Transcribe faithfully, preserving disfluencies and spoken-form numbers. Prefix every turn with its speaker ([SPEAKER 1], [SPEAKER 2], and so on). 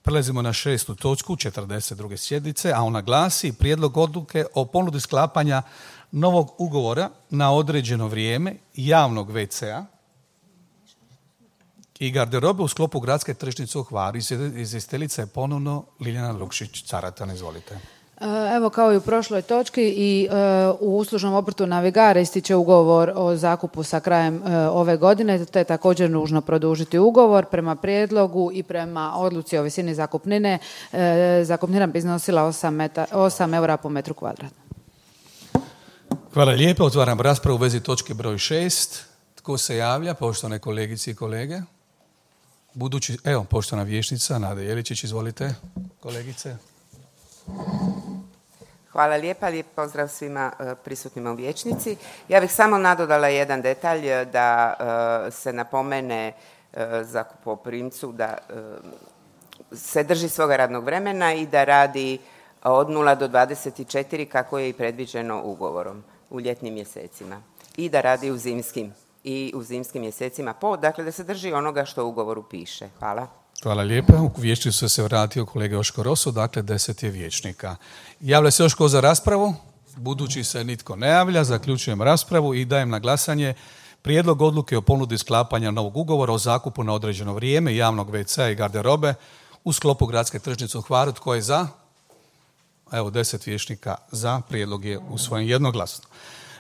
[SPEAKER 1] Prelazimo na šestu točku četrdeset druge sjednice, a ona glasi prijedlog odluke o ponudi sklapanja novog ugovora na određeno vrijeme javnog ve ce a i garderobe u sklopu gradske tržnice u Hvaru. Izvjestiteljica je ponovno Ljiljana Lukšić-Caratan, izvolite.
[SPEAKER 2] Evo, kao i u prošloj točki, i uh, u uslužnom obrtu Navigare ističe ugovor o zakupu sa krajem uh, ove godine, te je također nužno produžiti ugovor. Prema prijedlogu i prema odluci o visini zakupnine, uh, zakupnina bi iznosila osam eura po metru kvadratnom.
[SPEAKER 1] Hvala lijepo. Otvaram raspravu u vezi točke broj šest. Tko se javlja? Poštovane kolegice i kolege. Budući, evo, poštovana vijećnica Nada Jeličić, izvolite, kolegice.
[SPEAKER 3] Hvala lijepa, lijep pozdrav svima prisutnima u vijećnici. Ja bih samo nadodala jedan detalj, da se napomene zakupoprimcu da se drži svoga radnog vremena i da radi od nula do dvadeset četiri kako je i predviđeno ugovorom u ljetnim mjesecima i da radi u zimskim i u zimskim mjesecima po, dakle da se drži onoga što u ugovoru piše. Hvala.
[SPEAKER 1] Hvala lijepa. U vijećnicu se vratio kolega Joško Roso, dakle deset je vijećnika. Javlja se još ko za raspravu? Budući se nitko ne javlja, zaključujem raspravu i dajem na glasanje prijedlog odluke o ponudi sklapanja novog ugovora o zakupu na određeno vrijeme javnog ve ce a i garderobe u sklopu gradske tržnice u Hvaru. Tko je za? Evo, deset vijećnika za, prijedlog je usvojen jednoglasno.